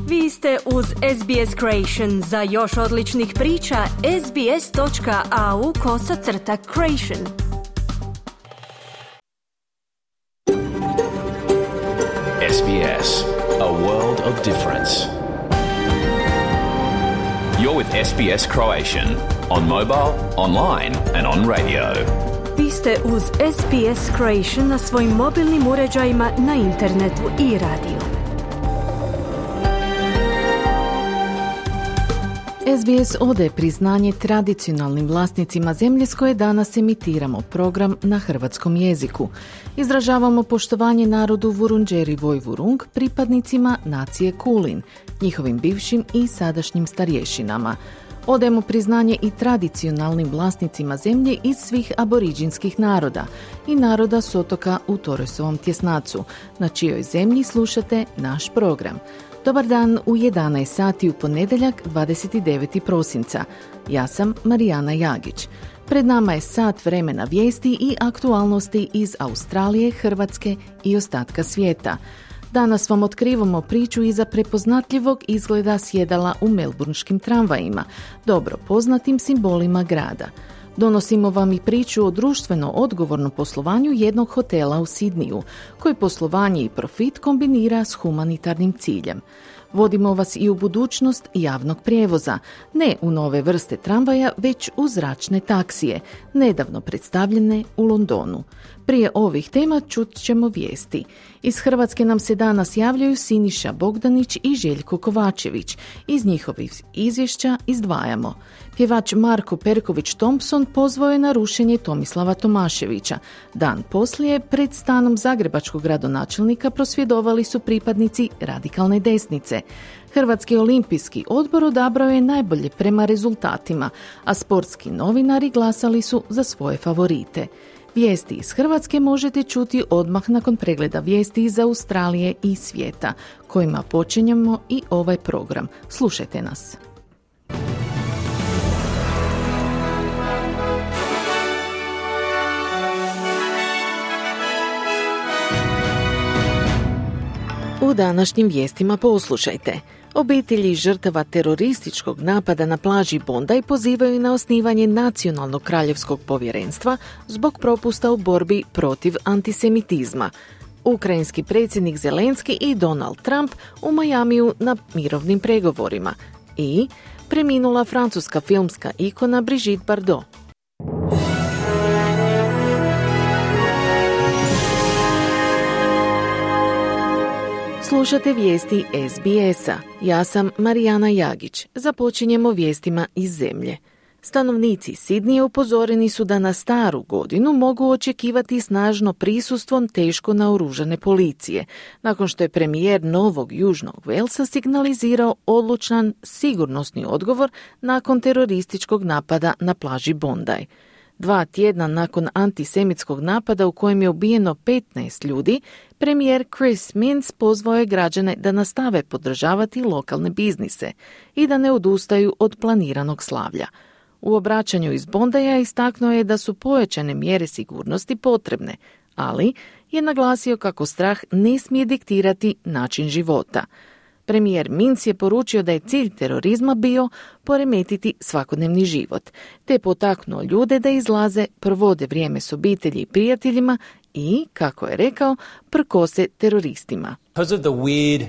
Vi ste uz SBS Creation. Za još odličnih priča, sbs.au/creation. SBS, a world of difference. You're with SBS Croatian on mobile, online and on radio. Vi ste uz SBS Creation na svojim mobilnim uređajima, na internetu i radiju. SBS odaje priznanje tradicionalnim vlasnicima zemlje s koje danas emitiramo program na hrvatskom jeziku. Izražavamo poštovanje narodu Vurundjeri Vojvurung, pripadnicima nacije Kulin, njihovim bivšim i sadašnjim starješinama. Odajemo priznanje i tradicionalnim vlasnicima zemlje iz svih aboriđinskih naroda i naroda s otoka u Torresovom tjesnacu, na čijoj zemlji slušate naš program. Dobar dan u 11 sati u ponedjeljak 29. prosinca. Ja sam Marijana Jagić. Pred nama je sat vremena vijesti i aktualnosti iz Australije, Hrvatske i ostatka svijeta. Danas vam otkrivamo priču iza prepoznatljivog izgleda sjedala u melburnskim tramvajima, dobro poznatim simbolima grada. Donosimo vam i priču o društveno odgovornom poslovanju jednog hotela u Sidniju, koji poslovanje i profit kombinira s humanitarnim ciljem. Vodimo vas i u budućnost javnog prijevoza, ne u nove vrste tramvaja, već u zračne taksije, nedavno predstavljene u Londonu. Prije ovih tema čut ćemo vijesti. Iz Hrvatske nam se danas javljaju Siniša Bogdanić i Željko Kovačević. Iz njihovih izvješća izdvajamo. Pjevač Marko Perković-Thompson pozvao je na rušenje Tomislava Tomaševića. Dan poslije, pred stanom zagrebačkog gradonačelnika prosvjedovali su pripadnici radikalne desnice. Hrvatski olimpijski odbor odabrao je najbolje prema rezultatima, a sportski novinari glasali su za svoje favorite. Vijesti iz Hrvatske možete čuti odmah nakon pregleda vijesti iz Australije i svijeta, kojima počinjemo i ovaj program. Slušajte nas. U današnjim vijestima poslušajte. Obitelji žrtava terorističkog napada na plaži Bondi pozivaju na osnivanje Nacionalnog kraljevskog povjerenstva zbog propusta u borbi protiv antisemitizma. Ukrajinski predsjednik Zelenski i Donald Trump u Majamiju na mirovnim pregovorima. I preminula francuska filmska ikona Brigitte Bardot. Slušate vijesti SBS-a. Ja sam Marijana Jagić. Započinjemo vijestima iz zemlje. Stanovnici Sidnija upozoreni su da na staru godinu mogu očekivati snažno prisustvo teško naoružane policije, nakon što je premijer Novog Južnog Velsa signalizirao odlučan sigurnosni odgovor nakon terorističkog napada na plaži Bondi. 2 tjedna nakon antisemitskog napada u kojem je ubijeno 15 ljudi, premijer Chris Minns pozvao je građane da nastave podržavati lokalne biznise i da ne odustaju od planiranog slavlja. U obraćanju iz Bondija istaknuo je da su pojačane mjere sigurnosti potrebne, ali je naglasio kako strah ne smije diktirati način života. Premijer Minns je poručio da je cilj terorizma bio poremetiti svakodnevni život, te potaknuo ljude da izlaze, provode vrijeme s obitelji i prijateljima i, kako je rekao, prkose teroristima. Because of the weird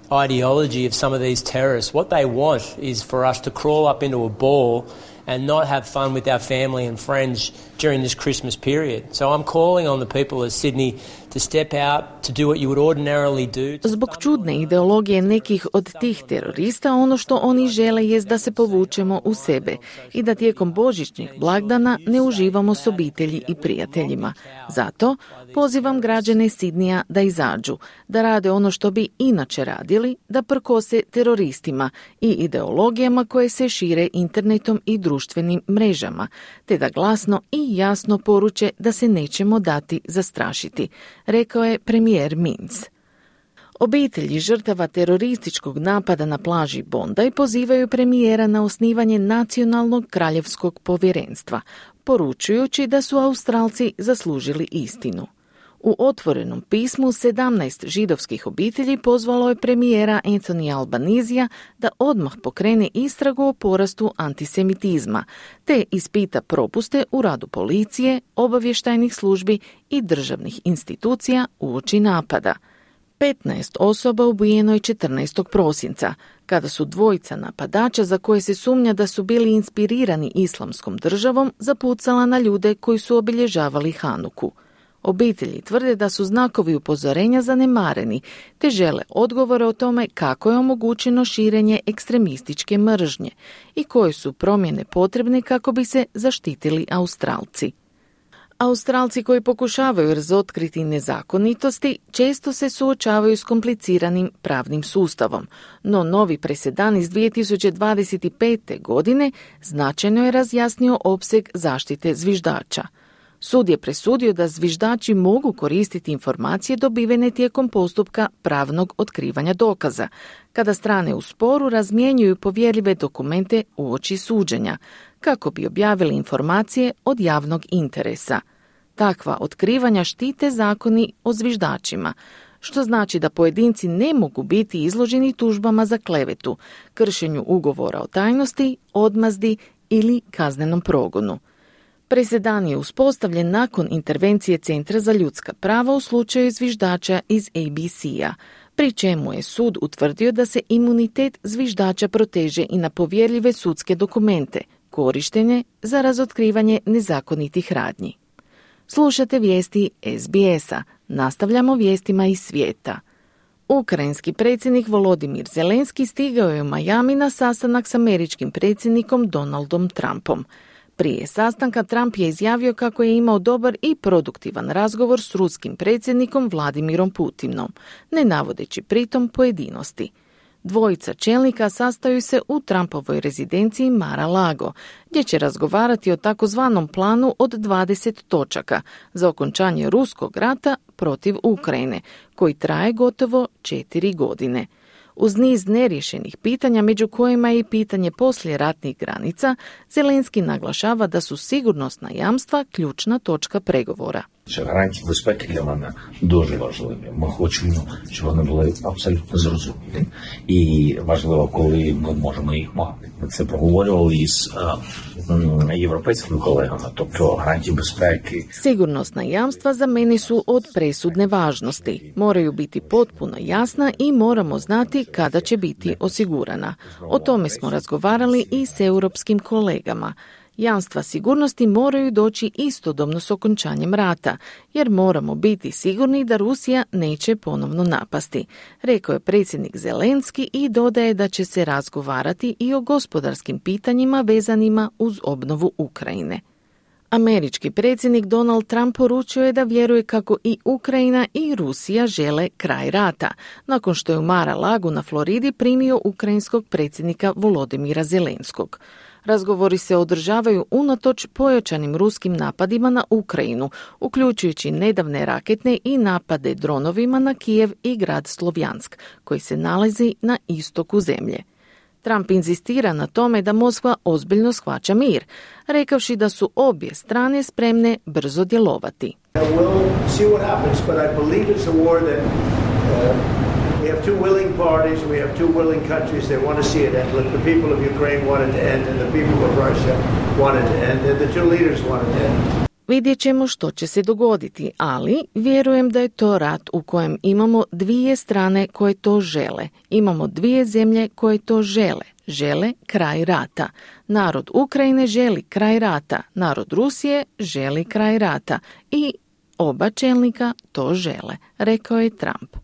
ideology of some of these terrorists, what they want is for us to crawl up into a ball and not have fun with our family and friends during this Christmas period. So I'm calling on the people of Sydney to step out, to do what you would ordinarily do. Zbog čudne ideologije nekih od tih terorista, ono što oni žele jest da se povučemo u sebe i da tijekom božićnih blagdana ne uživamo s obitelji i prijateljima. Zato pozivam građane Sidnija da izađu, da rade ono što bi inače radili, da prkose teroristima i ideologijama koje se šire internetom i društvenim mrežama, te da glasno i jasno poruče da se nećemo dati zastrašiti, rekao je premijer Minns. Obitelji žrtava terorističkog napada na plaži Bondi pozivaju premijera na osnivanje Nacionalnog kraljevskog povjerenstva, poručujući da su Australci zaslužili istinu. U otvorenom pismu 17 židovskih obitelji pozvalo je premijera Anthony Albanizija da odmah pokrene istragu o porastu antisemitizma, te ispita propuste u radu policije, obavještajnih službi i državnih institucija uoči napada. 15 osoba ubijeno je 14. prosinca, kada su dvojica napadača za koje se sumnja da su bili inspirirani islamskom državom zapucala na ljude koji su obilježavali Hanuku. Obitelji tvrde da su znakovi upozorenja zanemareni, te žele odgovore o tome kako je omogućeno širenje ekstremističke mržnje i koje su promjene potrebne kako bi se zaštitili Australci. Australci koji pokušavaju razotkriti nezakonitosti često se suočavaju s kompliciranim pravnim sustavom, no novi presedan iz 2025. godine značajno je razjasnio opseg zaštite zviždača. Sud je presudio da zviždači mogu koristiti informacije dobivene tijekom postupka pravnog otkrivanja dokaza, kada strane u sporu razmjenjuju povjerljive dokumente uoči suđenja, kako bi objavili informacije od javnog interesa. Takva otkrivanja štite zakoni o zviždačima, što znači da pojedinci ne mogu biti izloženi tužbama za klevetu, kršenju ugovora o tajnosti, odmazdi ili kaznenom progonu. Presedan je uspostavljen nakon intervencije Centra za ljudska prava u slučaju zviždača iz ABC-a, pri čemu je sud utvrdio da se imunitet zviždača proteže i na povjerljive sudske dokumente, korištene za razotkrivanje nezakonitih radnji. Slušate vijesti SBS-a. Nastavljamo vijestima iz svijeta. Ukrajinski predsjednik Volodimir Zelenski stigao je u Miami na sastanak s američkim predsjednikom Donaldom Trumpom. Prije sastanka Trump je izjavio kako je imao dobar i produktivan razgovor s ruskim predsjednikom Vladimirom Putinom, ne navodeći pritom pojedinosti. Dvojica čelnika sastaju se u Trumpovoj rezidenciji Mar-a-Lago, gdje će razgovarati o takozvanom planu od 20 točaka za okončanje ruskog rata protiv Ukrajine, koji traje gotovo 4 godine. Uz niz neriješenih pitanja, među kojima je i pitanje poslijeratnih granica, Zelenski naglašava da su sigurnosna jamstva ključna točka pregovora. Гарантії безпеки для мене дуже важливі. Ми хочемо, щоб вони були абсолютно зрозумілі. І важливо, коли ми можемо їх мати. Ми це проговорювали із європейськими колегами, тобто гарантії безпеки. Sigurnosna jamstva za mene su od presudne važnosti. Moraju biti potpuno jasna i moramo znati kada će biti osigurana. O tome smo razgovarali i s europskim kolegama. Jamstva sigurnosti moraju doći istodobno s okončanjem rata, jer moramo biti sigurni da Rusija neće ponovno napasti, rekao je predsjednik Zelenski i dodaje da će se razgovarati i o gospodarskim pitanjima vezanima uz obnovu Ukrajine. Američki predsjednik Donald Trump poručio je da vjeruje kako i Ukrajina i Rusija žele kraj rata, nakon što je u Mar-a-Lagu na Floridi primio ukrajinskog predsjednika Volodimira Zelenskog. Razgovori se održavaju unatoč pojačanim ruskim napadima na Ukrajinu, uključujući nedavne raketne i napade dronovima na Kijev i grad Slovjansk, koji se nalazi na istoku zemlje. Trump inzistira na tome da Moskva ozbiljno shvaća mir, rekavši da su obje strane spremne brzo djelovati. We have two willing parties, we have two willing countries that want to see it end. Like the people of Ukraine want it to end and the people of Russia want it to end and the two leaders want it to end. Vidjet ćemo što će se dogoditi, ali vjerujem da je to rat u kojem imamo dvije strane koje to žele. Imamo dvije zemlje koje to žele. Žele kraj rata. Narod Ukrajine želi kraj rata. Narod Rusije želi kraj rata. I oba čelnika to žele, rekao je Trump.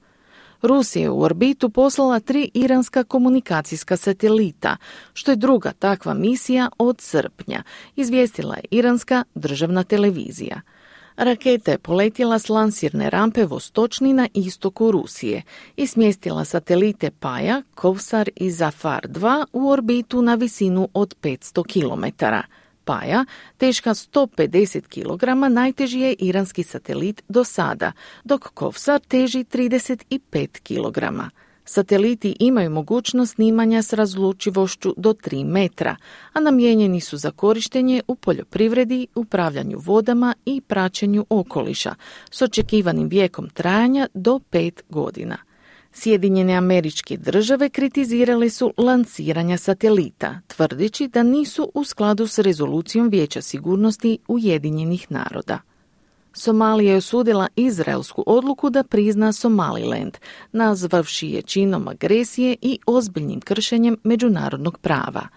Rusija je u orbitu poslala 3 iranska komunikacijska satelita, što je druga takva misija od srpnja, izvijestila je iranska državna televizija. Raketa je poletjela s lansirne rampe Vostočni na istoku Rusije i smjestila satelite Paja, Kovsar i Zafar 2 u orbitu na visinu od 500 km. Paja, teška 150 kg, najteži je iranski satelit do sada, dok Kovsar teži 35 kg. Sateliti imaju mogućnost snimanja s razlučivošću do 3 metra, a namijenjeni su za korištenje u poljoprivredi, upravljanju vodama i praćenju okoliša, s očekivanim vijekom trajanja do 5 godina. Sjedinjene Američke Države kritizirale su lansiranja satelita, tvrdeći da nisu u skladu s rezolucijom Vijeća sigurnosti Ujedinjenih naroda. Somalija je osudila izraelsku odluku da prizna Somaliland, nazvavši je činom agresije i ozbiljnim kršenjem međunarodnog prava.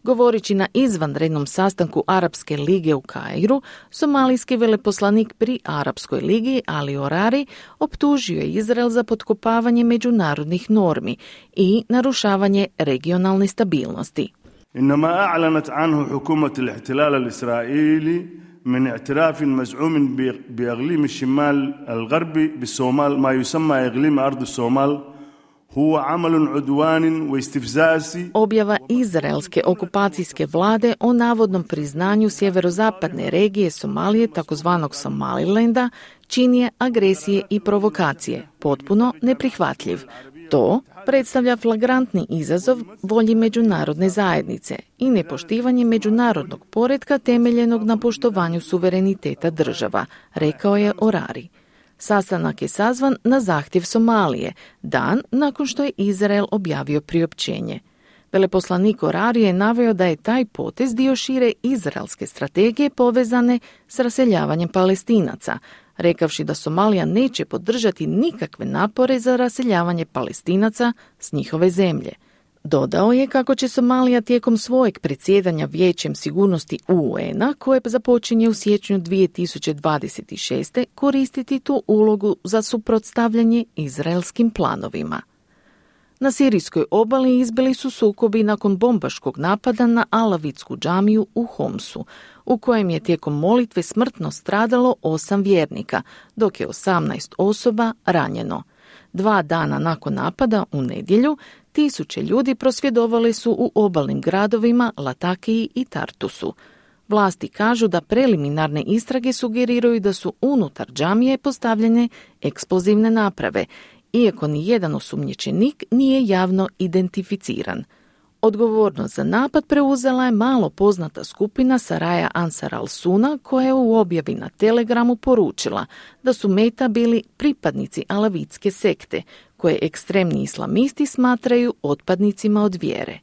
Govoreći na izvanrednom sastanku Arapske lige u Kairu, somalijski veleposlanik pri Arapskoj ligi Ali Orari optužio je Izrael za potkopavanje međunarodnih normi i narušavanje regionalne stabilnosti. Inama a'lanat anhu hukumat al-ihtilal al-israili من اعتراف مزعوم بإقليم الشمال الغربي بالصومال ما يسمى إقليم أرض الصومال هو عمل عدوان واستفزازي. Objava izraelske okupacijske vlade o navodnom priznanju sjeverozapadne regije Somalije, takozvanog Somalilanda, čin je agresije i provokacije, potpuno neprihvatljiv. To predstavlja flagrantni izazov volji međunarodne zajednice i nepoštivanje međunarodnog poretka temeljenog na poštovanju suvereniteta država, rekao je Orari. Sastanak je sazvan na zahtjev Somalije, dan nakon što je Izrael objavio priopćenje. Veleposlanik Orari je naveo da je taj potez dio šire izraelske strategije povezane s raseljavanjem Palestinaca, rekavši da Somalija neće podržati nikakve napore za raseljavanje Palestinaca s njihove zemlje. Dodao je kako će Somalija tijekom svojeg predsjedanja Vijećem sigurnosti UN-a, koje započinje u siječnju 2026. koristiti tu ulogu za suprotstavljanje izraelskim planovima. Na sirijskoj obali izbili su sukobi nakon bombaškog napada na alavitsku džamiju u Homsu, u kojem je tijekom molitve smrtno stradalo 8 vjernika, dok je 18 osoba ranjeno. 2 dana nakon napada, u nedjelju, 1000 ljudi prosvjedovali su u obalnim gradovima Latakiji i Tartusu. Vlasti kažu da preliminarne istrage sugeriraju da su unutar džamije postavljene eksplozivne naprave, iako ni jedan osumnjičenik nije javno identificiran. Odgovornost za napad preuzela je malo poznata skupina Saraja Ansar al-Suna, koja je u objavi na Telegramu poručila da su meta bili pripadnici alavitske sekte, koje ekstremni islamisti smatraju otpadnicima od vjere.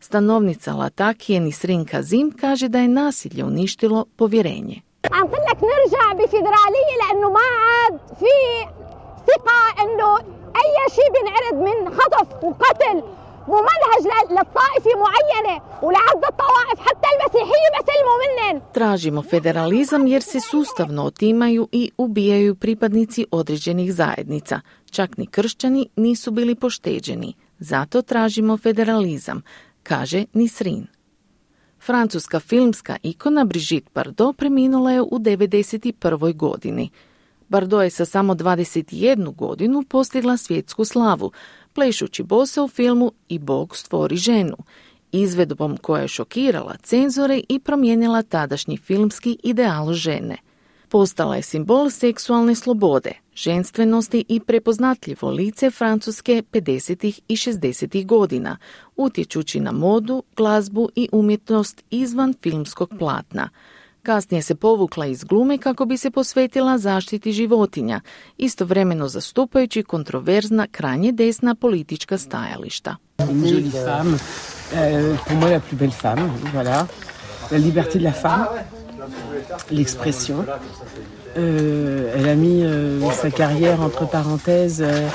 Stanovnica Latakije Nisrin Kazim kaže da je nasilje uništilo povjerenje. ثقة إنه أي شيء بينعرض من خطف وقتل ممنهج للطائفة معينة ولعدد الطوائف حتى المسيحية بسلموا منن. Tražimo federalizam jer se sustavno otimaju i ubijaju pripadnici određenih zajednica. Čak ni kršćani nisu bili pošteđeni. Zato tražimo federalizam, kaže Nisrin. Francuska filmska ikona Brigitte Bardot preminula je u 91. godini. Bardot je sa samo 21 godinu postigla svjetsku slavu, plešući bosa u filmu I Bog stvori ženu, izvedbom koja je šokirala cenzore i promijenila tadašnji filmski ideal žene. Postala je simbol seksualne slobode, ženstvenosti i prepoznatljivo lice Francuske 50. i 60. godina, utječući na modu, glazbu i umjetnost izvan filmskog platna. Kasnije se povukla iz glume kako bi se posvetila zaštiti životinja, istovremeno zastupajući kontroverzna krajnje desna politička stajališta. Une jolie femme, pour moi la plus belle femme, voilà. La liberté de la femme, l'expression. Elle a mis sa carrière entre parenthèses.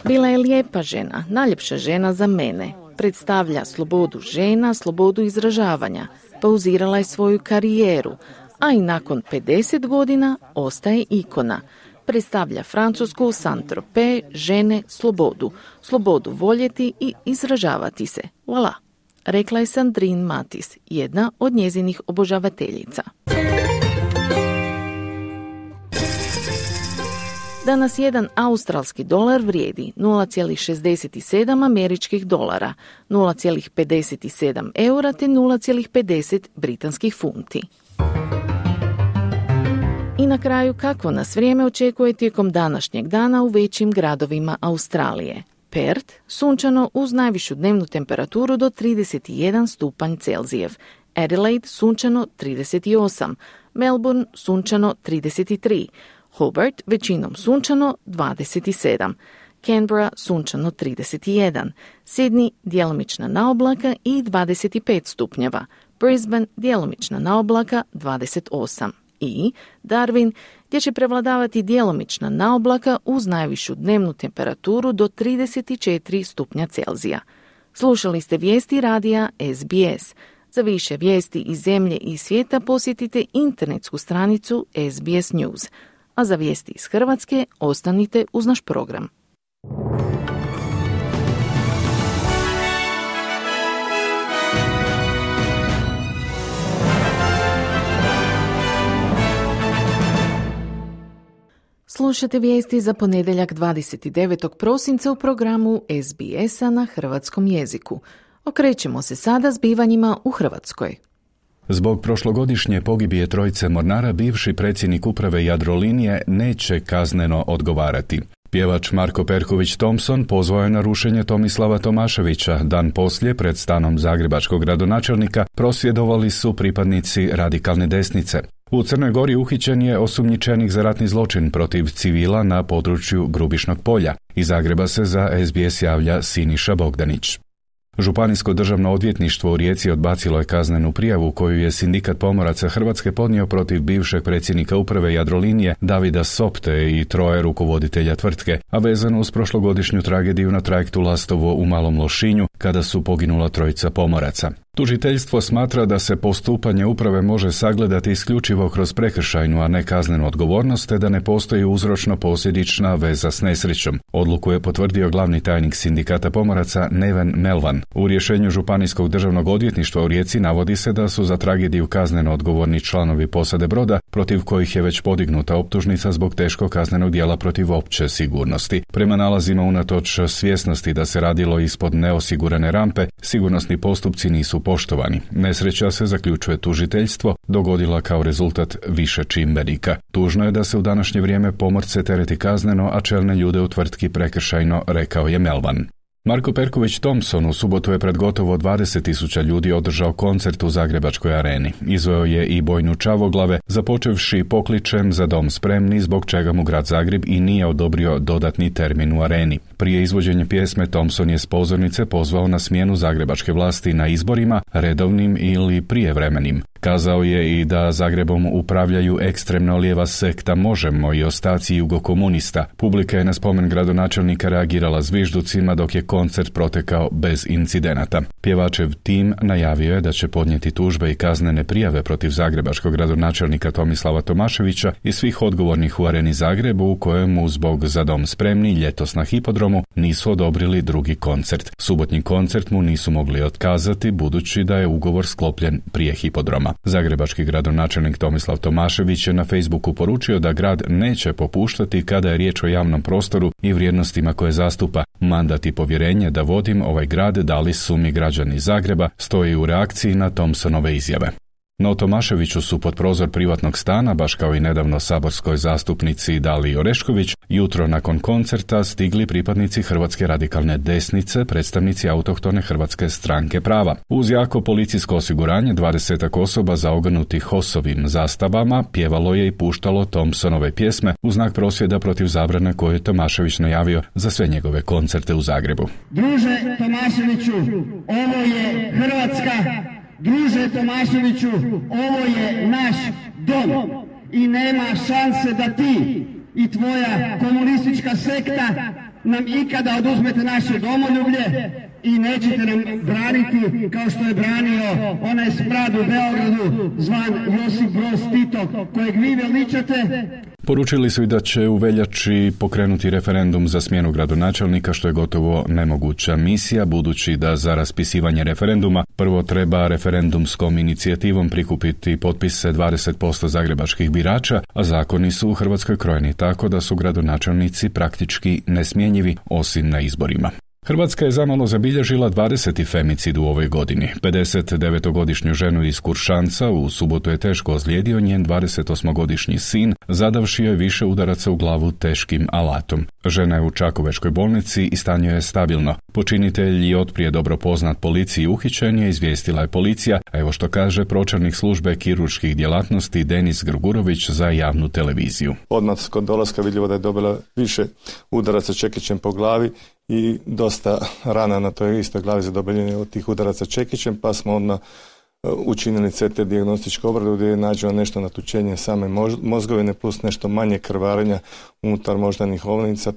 Bila je lijepa žena, najljepša žena za mene. Predstavlja slobodu žena, slobodu izražavanja. Pauzirala je svoju karijeru, a i nakon 50 godina ostaje ikona. Predstavlja Francusku, Saint-Tropez, žene, slobodu. Slobodu voljeti i izražavati se. Voilà, rekla je Sandrine Matis, jedna od njezinih obožavateljica. Danas jedan australski dolar vrijedi 0,67 američkih dolara, 0,57 eura te 0,50 britanskih funti. I na kraju, kako nas vrijeme očekuje tijekom današnjeg dana u većim gradovima Australije. Perth, sunčano uz najvišu dnevnu temperaturu do 31 stupanj Celzijev. Adelaide, sunčano 38. Melbourne, sunčano 33. Hobart, većinom sunčano 27. Canberra, sunčano 31. Sydney, djelomična naoblaka i 25 stupnjeva. Brisbane, djelomična naoblaka 28. I Darwin, gdje će prevladavati djelomična naoblaka uz najvišu dnevnu temperaturu do 34 stupnja Celzija. Slušali ste vijesti radija SBS. Za više vijesti iz zemlje i svijeta posjetite internetsku stranicu SBS News. A za vijesti iz Hrvatske ostanite uz naš program. Slušate vijesti za ponedjeljak 29. prosinca u programu SBS-a na hrvatskom jeziku. Okrećemo se sada zbivanjima u Hrvatskoj. Zbog prošlogodišnje pogibije trojice mornara, bivši predsjednik uprave Jadrolinije neće kazneno odgovarati. Pjevač Marko Perković Thompson pozvao je na rušenje Tomislava Tomaševića. Dan poslije, pred stanom zagrebačkog gradonačelnika, prosvjedovali su pripadnici radikalne desnice. U Crnoj Gori uhićen je osumnjičenik za ratni zločin protiv civila na području Grubišnog polja. Iz Zagreba se za SBS javlja Siniša Bogdanić. Županijsko državno odvjetništvo u Rijeci odbacilo je kaznenu prijavu koju je Sindikat pomoraca Hrvatske podnio protiv bivšeg predsjednika uprave Jadrolinije Davida Sopte i troje rukovoditelja tvrtke, a vezano uz prošlogodišnju tragediju na trajektu Lastovo u Malom Lošinju kada su poginula trojica pomoraca. Tužiteljstvo smatra da se postupanje uprave može sagledati isključivo kroz prekršajnu, a ne kaznenu odgovornost, te da ne postoji uzročno-posljedična veza s nesrećom. Odluku je potvrdio glavni tajnik Sindikata pomoraca Neven Melvan. U rješenju Županijskog državnog odvjetništva u Rijeci navodi se da su za tragediju kazneno odgovorni članovi posade broda, protiv kojih je već podignuta optužnica zbog teškog kaznenog djela protiv opće sigurnosti. Prema nalazima, unatoč svjesnosti da se radilo ispod neosigurane rampe, sigurnosni postupci nisu poštovani. Nesreća, se zaključuje tužiteljstvo, dogodila kao rezultat više čimbenika. Tužno je da se u današnje vrijeme pomorce tereti kazneno, a čelne ljude u tvrtki prekršajno, rekao je Melvan. Marko Perković Thompson u subotu je pred gotovo 20.000 ljudi održao koncert u Zagrebačkoj areni. Izveo je i bojnu Čavoglave, započevši pokličem Za dom spremni, zbog čega mu grad Zagreb i nije odobrio dodatni termin u areni. Prije izvođenja pjesme Thompson je s pozornice pozvao na smjenu zagrebačke vlasti na izborima, redovnim ili prijevremenim. Kazao je i da Zagrebom upravljaju ekstremno lijeva sekta Možemo i ostaci jugokomunista. Publika je na spomen gradonačelnika reagirala zvižducima, dok je koncert protekao bez incidenata. Pjevačev tim najavio je da će podnijeti tužbe i kaznene prijave protiv zagrebačkog gradonačelnika Tomislava Tomaševića i svih odgovornih u areni Zagrebu, u kojemu zbog Za dom spremni ljetos na hipodromu nisu odobrili drugi koncert. Subotnji koncert mu nisu mogli otkazati, budući da je ugovor sklopljen prije hipodroma. Zagrebački gradonačelnik Tomislav Tomašević je na Facebooku poručio da grad neće popuštati kada je riječ o javnom prostoru i vrijednostima koje zastupa. Mandat i povjerenje da vodim ovaj grad dali su mi građani Zagreba, stoji u reakciji na Thompsonove izjave. No Tomaševiću su pod prozor privatnog stana, baš kao i nedavno saborskoj zastupnici Daliji Orešković, jutro nakon koncerta stigli pripadnici Hrvatske radikalne desnice, predstavnici autohtone Hrvatske stranke prava. Uz jako policijsko osiguranje 20 osoba zaogrnutih HOS-ovim zastavama pjevalo je i puštalo Thompsonove pjesme u znak prosvjeda protiv zabrane koju je Tomašević najavio za sve njegove koncerte u Zagrebu. Druže Tomaševiću, ovo je Hrvatska. Druže Tomaševiću, ovo je naš dom i nema šanse da ti i tvoja komunistička sekta nam ikada oduzmete naše domoljublje i nećete nam braniti kao što je branio onaj smrad u Beogradu zvan Josip Broz Tito, kojeg vi veličate. Poručili su i da će u veljači pokrenuti referendum za smjenu gradonačelnika, što je gotovo nemoguća misija, budući da za raspisivanje referenduma prvo treba referendumskom inicijativom prikupiti potpise 20% zagrebačkih birača, a zakoni su u Hrvatskoj krojeni tako da su gradonačelnici praktički nesmjenjivi osim na izborima. Hrvatska je zamalo zabilježila 20. femicid u ovoj godini. 59-godišnju ženu iz Kuršanca u subotu je teško ozlijedio njen 28-godišnji sin, zadavši joj više udaraca u glavu teškim alatom. Žena je u Čakovečkoj bolnici i stanje je stabilno. Počinitelj i otprije dobro poznat policiji uhićen je, izvijestila je policija, a evo što kaže pročelnik službe kirurških djelatnosti Denis Grgurović za javnu televiziju. Odmah kod dolaska vidljivo da je dobila više udaraca čekićem po glavi i dosta rana na toj istoj glavi zadobeljene od tih udaraca čekićem, pa smo odmah učinili CT dijagnostičku obradu gdje je nađeno nešto natučenje same mozgovine plus nešto manje krvarenja unutar moždanih ovnica.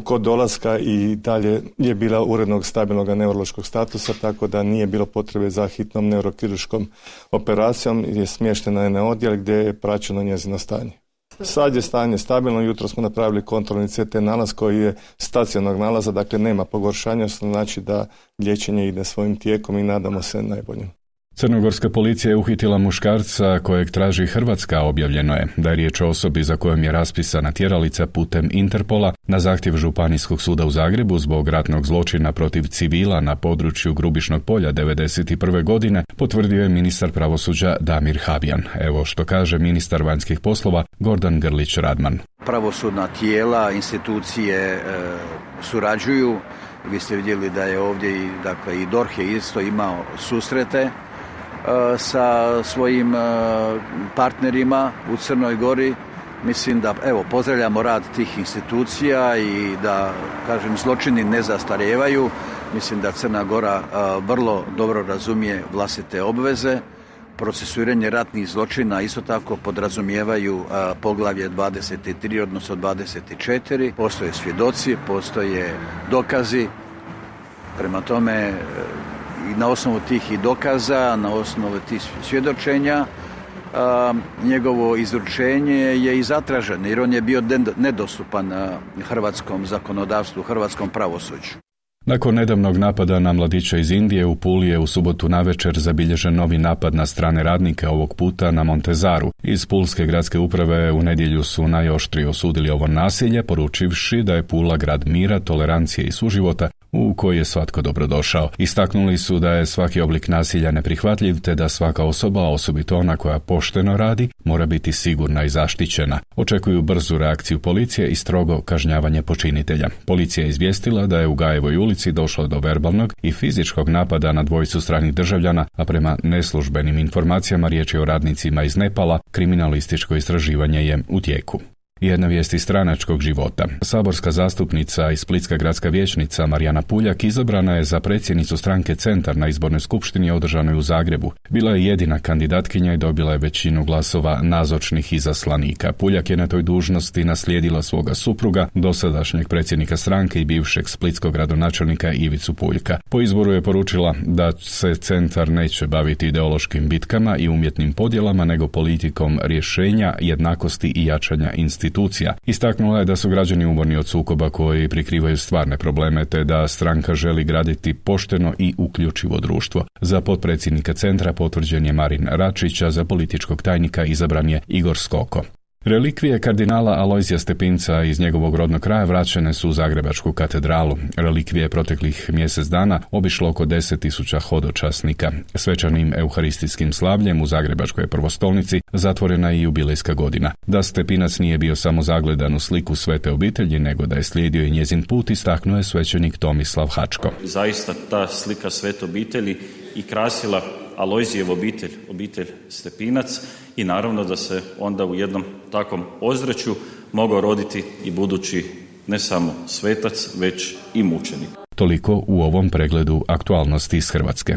Kod dolaska i dalje je bila urednog stabilnog neurološkog statusa, tako da nije bilo potrebe za hitnom neurokirurškom operacijom, je smještena je na odjel gdje je praćeno njezino stanje. Sad je stanje stabilno, jutro smo napravili kontrolni CT nalaz koji je stacionarnog nalaza, dakle nema pogoršanja, što znači da liječenje ide svojim tijekom i nadamo se najboljim. Crnogorska policija je uhitila muškarca kojeg traži Hrvatska. Objavljeno je da je riječ o osobi za kojom je raspisana tjeralica putem Interpola na zahtjev Županijskog suda u Zagrebu zbog ratnog zločina protiv civila na području Grubišnog polja 1991. godine, potvrdio je ministar pravosuđa Damir Habijan. Evo što kaže ministar vanjskih poslova Gordan Grlić Radman. Pravosudna tijela, institucije surađuju. Vi ste vidjeli da je ovdje i DORH je isto imao susrete sa svojim partnerima u Crnoj Gori. Mislim da pozdravljamo rad tih institucija i da, kažem, zločini ne zastarijevaju. Mislim da Crna Gora vrlo dobro razumije vlastite obveze. Procesuiranje ratnih zločina isto tako podrazumijevaju poglavlje 23, odnosno 24. Postoje svjedoci, postoje dokazi. Prema tome, i na osnovu tih i dokaza, na osnovu tih svjedočenja, njegovo izručenje je i zatraženo, jer on je bio nedostupan hrvatskom zakonodavstvu, hrvatskom pravosuđu. Nakon nedavnog napada na mladića iz Indije, u Puli je u subotu navečer zabilježen novi napad na strane radnike, ovog puta na Montezaru. Iz Pulske gradske uprave u nedjelju su najoštrije osudili ovo nasilje, poručivši da je Pula grad mira, tolerancije i suživota u koji je svatko dobrodošao. Istaknuli su da je svaki oblik nasilja neprihvatljiv, te da svaka osoba, osobito ona koja pošteno radi, mora biti sigurna i zaštićena. Očekuju brzu reakciju policije i strogo kažnjavanje počinitelja. Policija je izvijestila da je u Gajevoj ulici došlo do verbalnog i fizičkog napada na dvojicu stranih državljana, a prema neslužbenim informacijama riječ je o radnicima iz Nepala. Kriminalističko istraživanje je u tijeku. Jedna vijest iz stranačkog života. Saborska zastupnica i splitska gradska vijećnica Marijana Puljak izabrana je za predsjednicu stranke Centar na izbornoj skupštini održanoj u Zagrebu. Bila je jedina kandidatkinja i dobila je većinu glasova nazočnih izaslanika. Puljak je na toj dužnosti naslijedila svoga supruga, dosadašnjeg predsjednika stranke i bivšeg splitskog gradonačelnika Ivicu Puljka. Po izboru je poručila da se Centar neće baviti ideološkim bitkama i umjetnim podjelama, nego politikom rješenja, jednakosti i jačanja institucija. Istaknula je da su građani umorni od sukoba koji prikrivaju stvarne probleme, te da stranka želi graditi pošteno i uključivo društvo. Za potpredsjednika Centra potvrđen je Marin Račić, a za političkog tajnika izabran je Igor Skoko. Relikvije kardinala Alojzija Stepinca iz njegovog rodnog kraja vraćene su u Zagrebačku katedralu. Relikvije proteklih mjesec dana obišlo oko 10.000 hodočasnika. Svečanim euharistijskim slavljem u Zagrebačkoj prvostolnici zatvorena je i jubilejska godina. Da Stepinac nije bio samo zagledan u sliku svete obitelji, nego da je slijedio i njezin put, istaknuo je svećenik Tomislav Hačko. Zaista ta slika svete obitelji i krasila Alojzijev obitelj Stepinac i naravno da se onda u jednom takvom ozračju mogao roditi i budući ne samo svetac, već i mučenik. Toliko u ovom pregledu aktualnosti iz Hrvatske.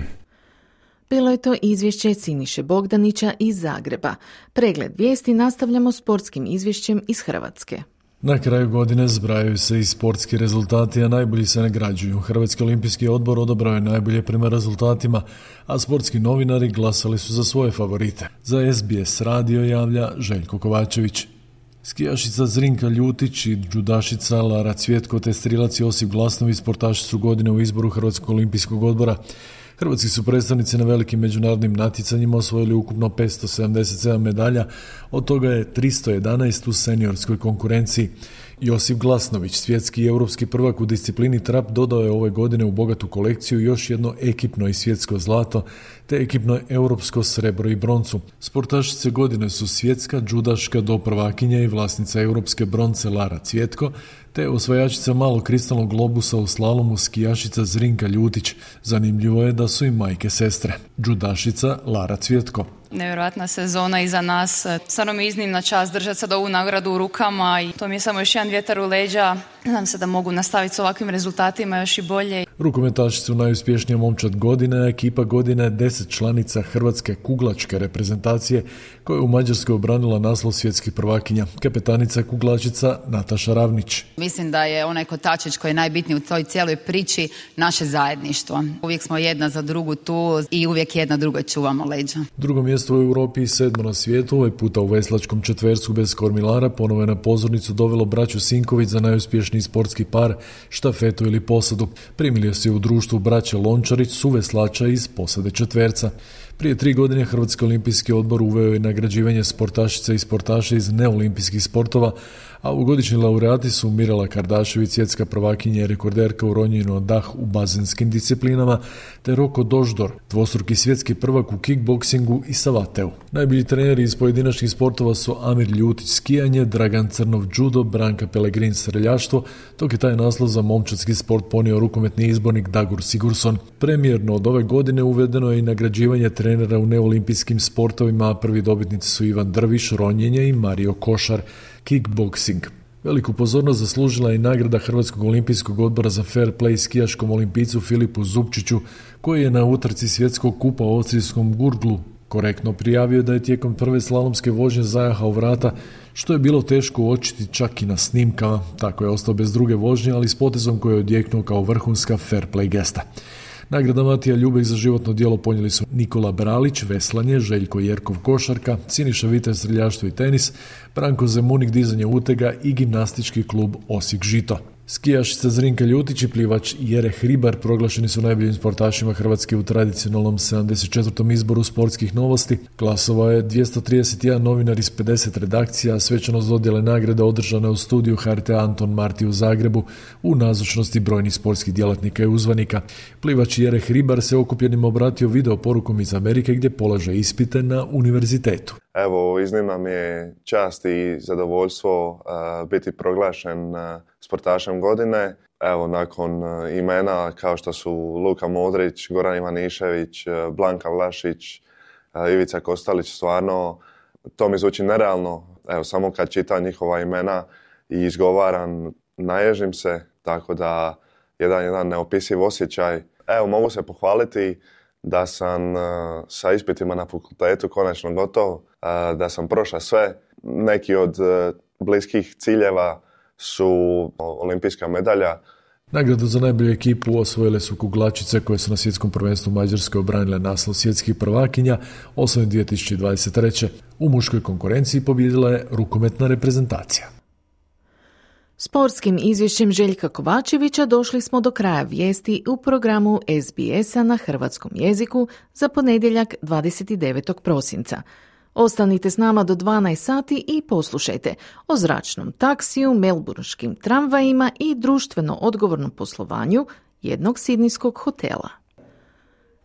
Bilo je to izvješće Siniše Bogdanića iz Zagreba. Pregled vijesti nastavljamo sportskim izvješćem iz Hrvatske. Na kraju godine zbrajaju se i sportski rezultati, a najbolji se nagrađuju. Hrvatski olimpijski odbor odabrao je najbolje prema rezultatima, a sportski novinari glasali su za svoje favorite. Za SBS radio javlja Željko Kovačević. Skijašica Zrinka Ljutić i džudašica Lara Cvjetko te strilac Josip Glasnović sportaši su godine u izboru Hrvatskog olimpijskog odbora. Hrvatski su predstavnici na velikim međunarodnim natjecanjima osvojili ukupno 577 medalja, od toga je 311 u seniorskoj konkurenciji. Josip Glasnović, svjetski i europski prvak u disciplini trap, dodao je ove godine u bogatu kolekciju još jedno ekipno i svjetsko zlato, te ekipno europsko srebro i broncu. Sportašice godine su svjetska džudaška doprvakinja i vlasnica europske bronce Lara Cvjetko, te osvajačica malog kristalnog globusa u slalomu skijašica Zrinka Ljutić. Zanimljivo je da su i majke sestre. Džudašica Lara Cvjetko. Nevjerojatna sezona iza nas. Stvarno mi je iznimna čast držati sad ovu nagradu u rukama i to mi je samo još jedan vjetar u leđa. Nadam se da mogu nastaviti s ovakvim rezultatima još i bolje. Rukometaši su najuspješnija momčad godine, ekipa godine 10 članica hrvatske kuglačke reprezentacije koja je u Mađarskoj obranila naslov svjetskih prvakinja. Kapetanica kuglačica Nataša Ravnić. Mislim da je onaj kotačić koji je najbitniji u toj cijeloj priči naše zajedništvo. Uvijek smo jedna za drugu tu i uvijek jedna drugoj čuvamo leđa. Drugo mjesto u Europi i 7. na svijetu, ovaj puta u veslačkom četvercu bez kormilara, ponovo je na pozornicu dovelo braću Sinković za najuspješniji sportski par, štafetu ili posadu. Primili se u društvu braće Lončarić, suveslača iz posade četverca. Prije 3 godine Hrvatski olimpijski odbor uveo je nagrađivanje sportašica i sportaša iz neolimpijskih sportova, a ovogodišnji laureati su Mirela Kardašević, svjetska prvakinja i rekorderka u ronjenju na dah u bazenskim disciplinama, te Roko Doždor, dvostruki svjetski prvak u kickboksingu i savateu. Najbolji treneri iz pojedinačnih sportova su Amir Ljutić skijanje, Dragan Crnov judo, Branka Pelegrin streljaštvo, dok je taj naslov za momčadski sport ponio rukometni izbornik Dagur Sigurdsson. Premijerno od ove godine uvedeno je i nagrađivanje trenera u neolimpijskim sportovima, a prvi dobitnici su Ivan Drviš, ronjenje, i Mario Košar, kickboksing. Veliku pozornost zaslužila je i nagrada Hrvatskog olimpijskog odbora za fair play skijaškom olimpijcu Filipu Zupčiću, koji je na utrci svjetskog kupa u austrijskom Gurglu korektno prijavio da je tijekom prve slalomske vožnje zajahao vrata, što je bilo teško uočiti čak i na snimkama. Tako je ostao bez druge vožnje, ali s potezom koji je odjeknuo kao vrhunska fair play gesta. Nagrada Matija Ljubek za životno djelo ponijeli su Nikola Bralić, veslanje, Željko Jerkov, košarka, Siniša Vitez, streljaštvo i tenis, Branko Zemunik, dizanje utega i gimnastički klub Osijek Žito. Skijašica Zrinka Ljutić i plivač Jere Hribar proglašeni su najboljim sportašima Hrvatske u tradicionalnom 74. izboru sportskih novosti. Glasovao je 231 novinar iz 50 redakcija, a svečanost dodjele nagrade održana u studiju HRT-a Anton Marti u Zagrebu u nazočnosti brojnih sportskih djelatnika i uzvanika. Plivač Jere Hribar se okupljenim obratio video porukom iz Amerike gdje polaže ispite na univerzitetu. Evo, iznimna mi je čast i zadovoljstvo biti proglašen sportašem godine. Evo, nakon imena kao što su Luka Modrić, Goran Ivanišević, Blanka Vlašić, Ivica Kostalić, stvarno to mi zvuči nerealno. Evo, samo kad čitam njihova imena i izgovaram, naježim se, tako da jedan neopisiv osjećaj. Evo, mogu se pohvaliti da sam sa ispitima na fakultetu konačno gotov, da sam prošao sve. Neki od bliskih ciljeva su olimpijska medalja. Nagradu za najbolju ekipu osvojile su kuglačice koje su na svjetskom prvenstvu u Mađarskoj obranile naslov svjetskih prvakinja osvojen 2023. U muškoj konkurenciji pobijedila je rukometna reprezentacija. Sportskim izvješćem Željka Kovačevića došli smo do kraja vijesti u programu SBS-a na hrvatskom jeziku za ponedjeljak 29. prosinca. Ostanite s nama do 12 sati i poslušajte o zračnom taksiju, melburnskim tramvajima i društveno odgovornom poslovanju jednog sidnijskog hotela.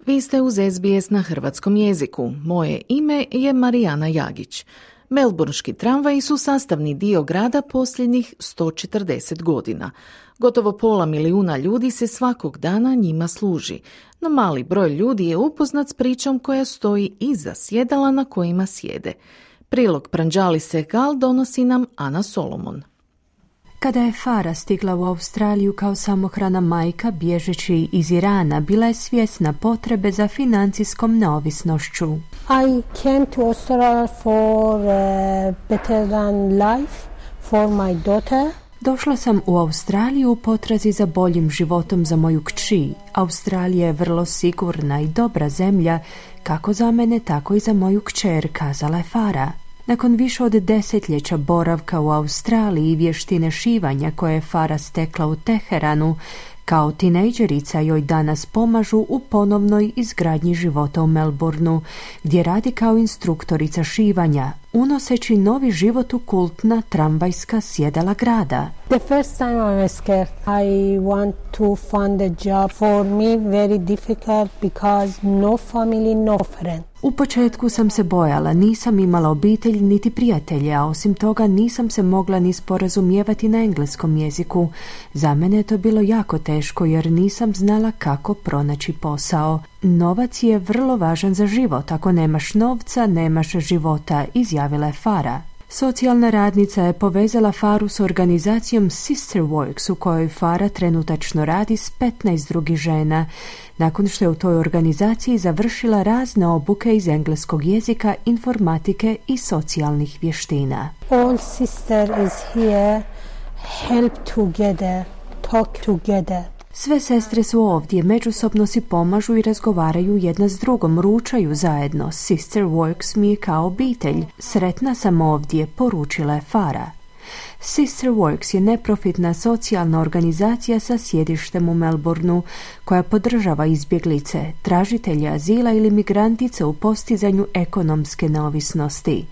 Vi ste uz SBS na hrvatskom jeziku. Moje ime je Marijana Jagić. Melburnski tramvaji su sastavni dio grada posljednjih 140 godina. Gotovo 500 milijuna ljudi se svakog dana njima služi, no mali broj ljudi je upoznat s pričom koja stoji iza sjedala na kojima sjede. Prilog Pranjali Sehgal donosi nam Ana Solomon. Kada je Farah stigla u Australiju kao samohrana majka bježeći iz Irana, bila je svjesna potrebe za financijskom neovisnošću. I came to Australia for better than life for my daughter. Došla sam u Australiju u potrazi za boljim životom za moju kći. Australija je vrlo sigurna i dobra zemlja, kako za mene, tako i za moju kćer, kazala je Farah. Nakon više od desetljeća boravka u Australiji i vještine šivanja koje je Farah stekla u Teheranu, kao tinejdžerica joj danas pomažu u ponovnoj izgradnji života u Melbourneu, gdje radi kao instruktorica šivanja. unoseći novi život u kultna tramvajska sjedala grada. The first time I was scared. I want to find a job. For me very difficult because no family, no friend. U početku sam se bojala, nisam imala obitelj niti prijatelje, a osim toga nisam se mogla ni sporazumijevati na engleskom jeziku. Za mene je to bilo jako teško jer nisam znala kako pronaći posao. Novac je vrlo važan za život, ako nemaš novca, nemaš života, izjavila je Farah. Socijalna radnica je povezala Faru s organizacijom Sister Works u kojoj Farah trenutačno radi s 15 drugih žena, nakon što je u toj organizaciji završila razne obuke iz engleskog jezika, informatike i socijalnih vještina. All sister is here, help together, talk together. Sve sestre su ovdje, međusobno si pomažu i razgovaraju jedna s drugom, ručaju zajedno. Sister Works mi je kao obitelj. Sretna sam ovdje, poručila je Farah. Sister Works je neprofitna socijalna organizacija sa sjedištem u Melbourneu koja podržava izbjeglice, tražitelje azila ili migrantice u postizanju ekonomske neovisnosti.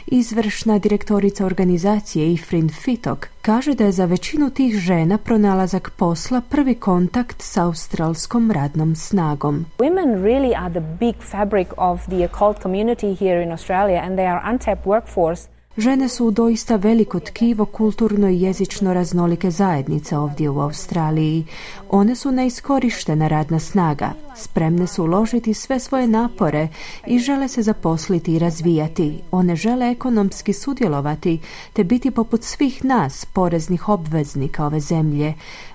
Izvršna direktorica organizacije Ifrin Fitok kaže da je za većinu tih žena pronalazak posla prvi kontakt s australskom radnom snagom. Women really are the big fabric of the occult community here in Australia and they are untapped workforce. Žene su doista veliko tkivo kulturno i jezično raznolike zajednice ovdje u Australiji. One su neiskorištena radna snaga, spremne su uložiti sve svoje napore i žele se zaposliti i razvijati. One žele ekonomski sudjelovati te biti poput svih nas, poreznih obveznika ove zemlje.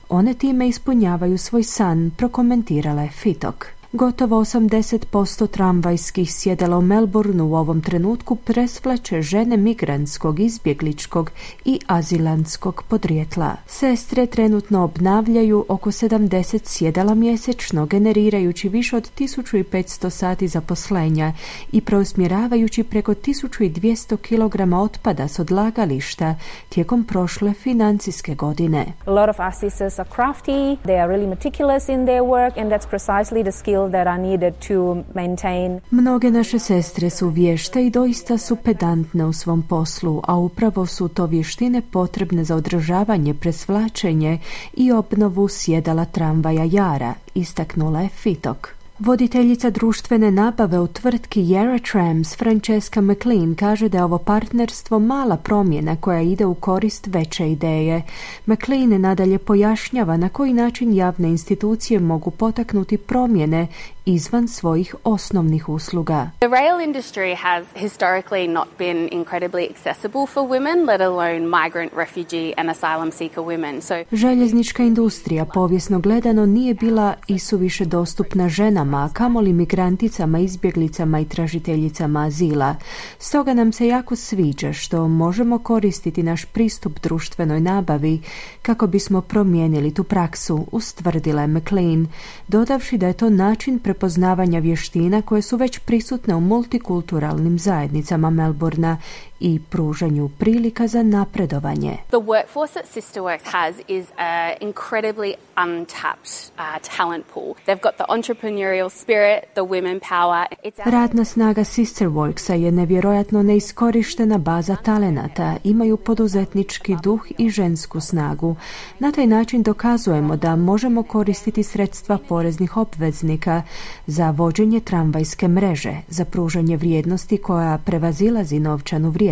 One time ispunjavaju svoj san, prokomentirala je Fitok. Gotovo 80% tramvajskih sjedala u Melbourneu u ovom trenutku presvlače žene migrantskog, izbjegličkog i azilantskog podrijetla. Sestre trenutno obnavljaju oko 70 sjedala mjesečno, generirajući više od 1500 sati zaposlenja i preusmjeravajući preko 1200 kg otpada s odlagališta tijekom prošle financijske godine. A lot of our sisters are crafty, they are really meticulous in their work and that's precisely the skill that are needed to maintain. Mnoge naše sestre su vješte i doista su pedantne u svom poslu, a upravo su to vještine potrebne za održavanje, presvlačenje i obnovu sjedala tramvaja Yara, istaknula je Fitok. Voditeljica društvene nabave u tvrtki Yarra Trams, Francesca McLean, kaže da je ovo partnerstvo mala promjena koja ide u korist veće ideje. McLean nadalje pojašnjava na koji način javne institucije mogu potaknuti promjene izvan svojih osnovnih usluga. The rail industry has historically not been incredibly accessible for women, let alone migrant, refugee and asylum seeker women. Željeznička industrija povijesno gledano nije bila isuviše dostupna ženama, a kamoli migranticama, izbjeglicama i tražiteljicama azila. Stoga nam se jako sviđa što možemo koristiti naš pristup društvenoj nabavi kako bismo promijenili tu praksu, ustvrdila je McLean, dodavši da je to način prepoznavanja vještina koje su već prisutne u multikulturalnim zajednicama Melbournea i pružanju prilika za napredovanje. The workforce that Sister Works has is an incredibly untapped talent pool. They've got the entrepreneurial spirit, the women power. Radna snaga Sister Worksa je nevjerojatno neiskorištena baza talenata, imaju poduzetnički duh i žensku snagu. Na taj način dokazujemo da možemo koristiti sredstva poreznih obveznika za vođenje tramvajske mreže, za pružanje vrijednosti koja prevazilazi novčanu vrijednost.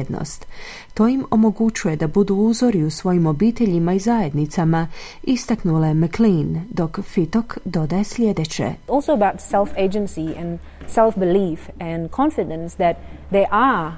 To im omogućuje da budu uzori u svojim obiteljima i zajednicama, istaknula je McLean, dok Fitok dodaje sljedeće. Also about self-agency and self-belief and confidence that they are